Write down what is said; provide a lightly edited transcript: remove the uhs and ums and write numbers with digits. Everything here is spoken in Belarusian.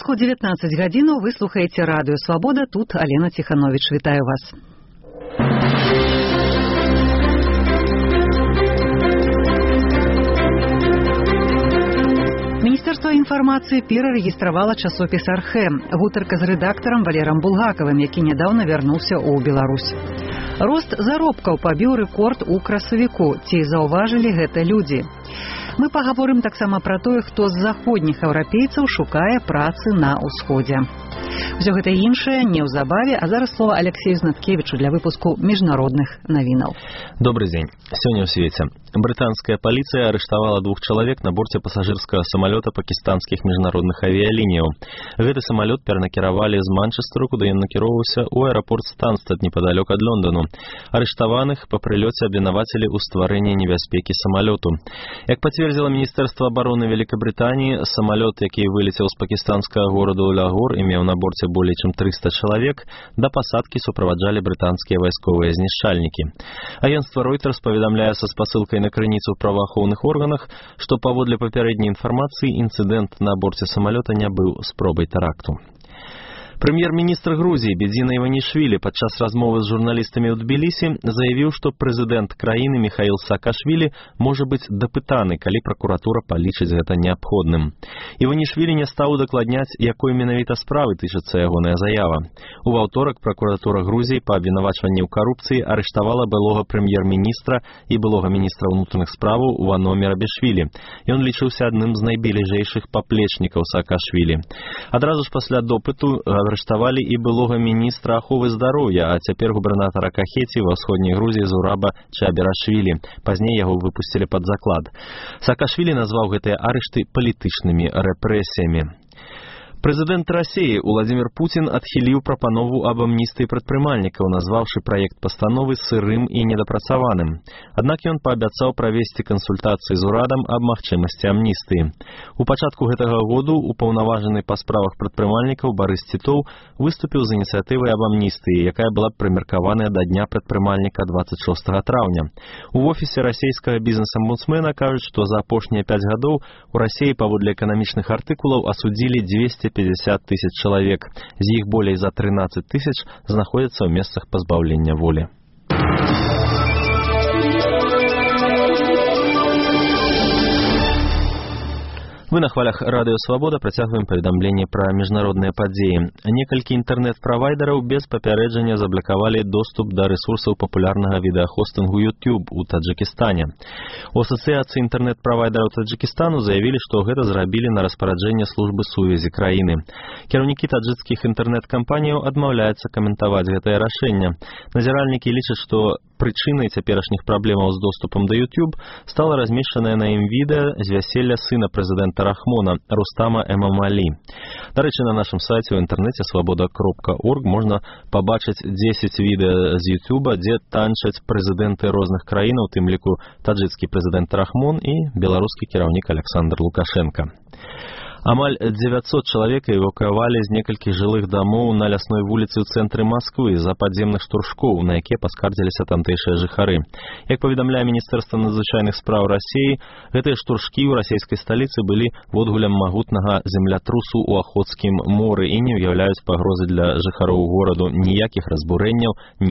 крыху 19 гадзінаў вы слухаеце радыё Свабода, тут Алена Ціхановіч, вітаю вас. Міністэрства інфармацыі перарэгістравала часопіс «Архэ». Гутарка з рэдактарам Валерам Булгакавым, які нядаўна вярнуўся ў Беларусь. Рост заробкаў пабіў рэкорд у красавіку. Ці заўважылі гэта людзі? Мы пагаворым таксама пра тое, хто з заходніх еўрапейцаў шукае працы на ўсходзе. Усё гэта іншае неўзабаве, а зараз слова Алексею Знаткевічу для выпуску міжнародных навінаў. Добрый дзень. Сёння ў свеце. Брытанская паліцыя арыштавала 2 чалавек на борце пасажырскага самалёта пакістанскіх міжнародных авіялініяў. Гэты самалёт перанакіравалі з Манчестэру, куды ён накіроўваўся ў аэрапорт Станстад непадалёк ад Лондану. Арыштаваных па прылёце абвінавацілі ў стварэнні небяспекі самалёту. Як пацвердзіла Міністэрства абароны Вялікабрытаніі, самалёт, які вылецеў з пакістанскага гораду Лагор і меў на борце болей чым 300 чалавек, да пасадкі суправаджалі брытанскія вайсковыя знішчальнікі. Агенцтва Reuters паведамляе са спасылкай на крыніцу ў праваахоўных органах, што паводле папярэдняй інфармацыі інцыдэнт на борце самалёта не быў спробай тэракту. Прэм'ер-міністр Грузіі Бедзіна Іванішвілі падчас размовы з журналістамі ў Тбілісі заявіў, што прэзідэнт краіны Міхаіл Саакашвілі можа быць дапытаны, калі пракуратура палічыць гэта неабходным. Іванішвілі не стаў удакладняць, якой менавіта справы тычыцца ягоная заява. У аўторак пракуратура Грузіі па абвінавачванні ў карупцыі арыштавала былога прэм'ер-міністра і былога міністра ўнутраных справаў Вано Мерабішвілі. Ён лічыўся адным з найбліжэйшых паплечнікаў Саакашвілі. Адразу ж пасля допыту арыштавалі і былога міністра аховы здароўя, а цяпер губернатара Кахеці ва ўсходняй Грузіі Зураба Чаберашвілі. Пазней яго выпусцілі пад заклад. Саакашвілі назваў гэтыя арышты палітычнымі рэпрэсіямі. Прэзідэнт Расіі Уладзімір Пуцін адхіліў прапанову аб амністыі прадпрымальнікаў, назваўшы праект пастановы сырым і недапрацаваным. Аднак ён паабяцаў правесці кансультацыі з урадам аб магчымасці амністыі. У пачатку гэтага году упаўнаважаны па справах прадпрымальнікаў Барыс Тітоў выступіў з ініцыятывай аб амністыі, якая была прымеркаваная да дня прадпрымальніка 26 траўня. У офісе расійскага бізнес-амбудсмена кажуць, што за апошнія 5 гадоў у Расіі паводле эканамічных артыкулаў асудзілі 250 тысяч чалавек. З іх болей за 13 тысяч знаходзяцца ў месцах пазбаўлення волі. Мы на хвалях радыё Свабода працягваем паведамленне пра міжнародныя падзеі. Некалькі інтэрнэт-правайдераў без папярэджання заблакавалі доступ да рэсурсаў папулярнага відэахостынгу YouTube у Таджыкістане. У асацыяцыі інтэрнэт-правайдераў Таджыкістану заявілі, што гэта зрабілі на распараджэнне службы сувязі краіны. Кіраўнікі таджыкскіх інтэрнэт-кампаніяў адмаўляюцца каментаваць гэтае рашэнне. Назіральнікі лічаць, што прычынай цяперашніх праблемаў з доступам да YouTube стала размешчанае на ім відэа з вяселля сына прэзідэнта Рахмона Рустама Эмамалі. Дарэчы, на нашым сайце ў інтэрнэце свабода.орг можна пабачыць 10 відэа з YouTube, дзе танчаць прэзідэнты розных краінаў, у тым ліку таджыцкі прэзідэнт Рахмон і беларускі кіраўнік Александр Лукашенко. Амаль 900 чалавек эвакуавалі з некалькіх жылых дамоў на лясной вуліцы ў цэнтры Масквы з-за падземных штуршкоў, на якія паскардзіліся тамтэйшыя жыхары. Як паведамляе Міністэрства надзвычайных спраў Расіі, гэтыя штуршкі ў расійскай сталіцы былі водгулем магутнага землятрусу ў Ахотскім моры і не ўяўляюць пагрозы для жыхароў гораду, ніякіх разбурэнняў,